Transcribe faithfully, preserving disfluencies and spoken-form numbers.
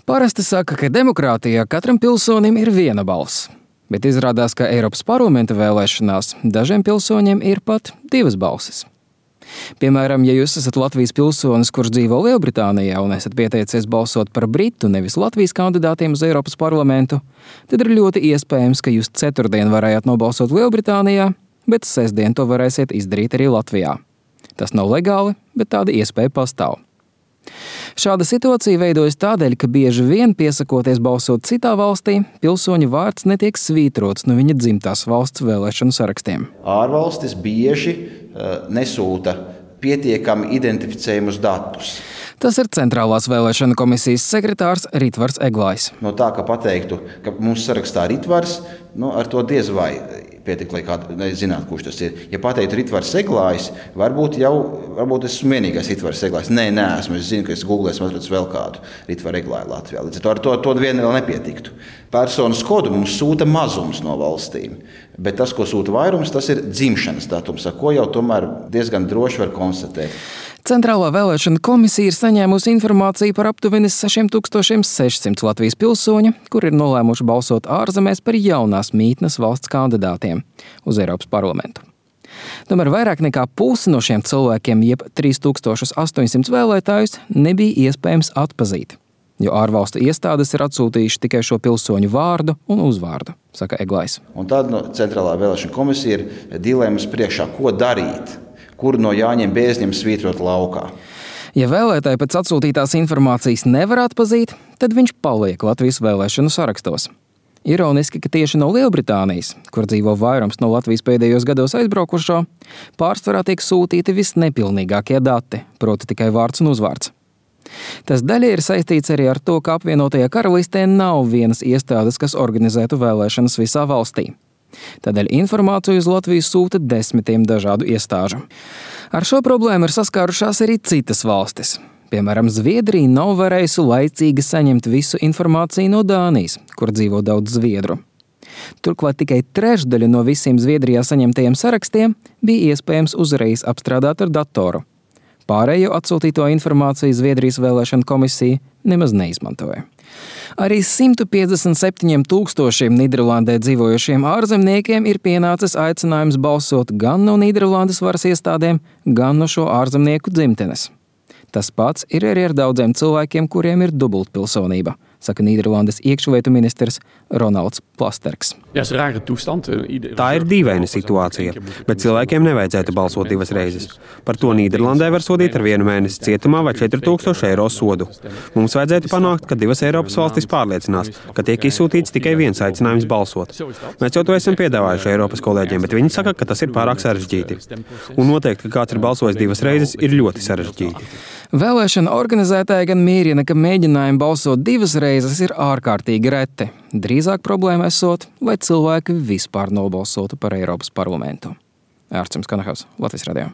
Parasti saka, ka demokrātijā katram pilsonim ir viena balss, bet izrādās, ka Eiropas parlamenta vēlēšanās dažiem pilsoņiem ir pat divas balsis. Piemēram, ja jūs esat Latvijas pilsonis, kurš dzīvo Lielbritānijā un esat pieteicies balsot par Britu, nevis Latvijas kandidātiem uz Eiropas parlamentu, tad ir ļoti iespējams, ka jūs ceturtdien varējāt nobalsot Lielbritānijā, bet sestdien to varēsiet izdarīt arī Latvijā. Tas nav legāli, bet tāda iespēja pastāv. Šāda situācija veidojas tādēļ, ka bieži vien piesakoties balsot citā valstī, pilsoņa vārds netiek svītrots no viņa dzimtās valsts vēlēšanu sarakstiem. Ārvalstis bieži uh, nesūta pietiekami identificējumus datus. Tas ir Centrālās vēlēšana komisijas sekretārs Ritvars Eglājs. No tā, ka pateiktu, ka mums sarakstā Ritvars, nu, ar to diez vai pietiek, lai kādu zinātu, kurš tas ir. Ja pateiktu Ritvars Eglājs, varbūt jau varbūt esmu vienīgais Ritvars Eglājs. Nē, nē, esmu, es zinu, ka es googlēs atradu vēl kādu Ritvaru Eglāju Latvijā. Līdz ar to, to vien vēl nepietiktu. Personas kodu mums sūta mazums no valstīm, bet tas, ko sūta vairums, tas ir dzimšanas datums, ar ko jau tomēr diezgan droši var konstatēt. Centrālā vēlēšana komisija ir saņēmusi informāciju par aptuveni sešiem tūkstošiem sešsimt Latvijas pilsoņu, kur ir nolēmuši balsot ārzemēs par jaunās mītnes valsts kandidātiem uz Eiropas parlamentu. Tomēr vairāk nekā pusi no šiem cilvēkiem, jeb trīs tūkstoši astoņsimt vēlētājus, nebija iespējams atpazīt, jo ārvalstu iestādes ir atsūtījuši tikai šo pilsoņu vārdu un uzvārdu, saka Eglājs. Un tad no Centrālā vēlēšana komisija ir dilemmas priekšā, ko darīt. Kur no jāņem bēzņiem svītrot laukā. Ja vēlētāji pēc atsūtītās informācijas nevar atpazīt, tad viņš paliek Latvijas vēlēšanu sarakstos. Ironiski, ka tieši no Lielbritānijas, kur dzīvo vairums no Latvijas pēdējos gados aizbraukušo, pārsvarā tiek sūtīti visnepilnīgākie dati, proti tikai vārds un uzvārds. Tas daļai ir saistīts arī ar to, ka apvienotajā karalistē nav vienas iestādes, kas organizētu vēlēšanas visā valstī. Tādēļ informāciju uz Latviju sūta desmitiem dažādu iestāžu. Ar šo problēmu ir saskārušās arī citas valstis. Piemēram, Zviedrija nav varējusi laicīgi saņemt visu informāciju no Dānijas, kur dzīvo daudz zviedru. Turklāt tikai trešdaļa no visiem Zviedrijā saņemtajiem sarakstiem bija iespējams uzreiz apstrādāt ar datoru. Pārējo atsūtīto informāciju Zviedrijas vēlēšana komisija nemaz neizmantoja. Arī simt piecdesmit septiņiem tūkstošiem Nīderlandē dzīvojošiem ārzemniekiem ir pienācis aicinājums balsot gan no Nīderlandes varas iestādēm, gan no šo ārzemnieku dzimtenes. Tas pats ir arī ar daudziem cilvēkiem, kuriem ir dubultpilsonība, saka Nīderlandes iekšlietu ministrs Ronalds Plasterks. Tā ir dīvaina situācija, bet cilvēkiem nevajadzētu balsot divas reizes. Par to Nīderlandē var sodīt ar vienu mēnesi cietumā vai četri tūkstoši eiro sodu. Mums vajadzētu panākt, ka divas Eiropas valstis pārliecinās, ka tiek izsūtīts tikai viens aicinājums balsot. Mēs jau to esam piedāvājuši Eiropas kolēģiem, bet viņi saka, ka tas ir pārāk sarežģīti. Un noteikti, ka kāds ir balsojis divas reizes, ir ļoti sarežģīti. Vēlēšana organizētāji gan mierina, ka mēģinājumi balsot divas reizes ir ārkārtīgi reti. Drīzāk problēma esot, lai cilvēki vispār nobalsotu par Eiropas parlamentu. Ārčuns Kanahavs, Latvijas radio.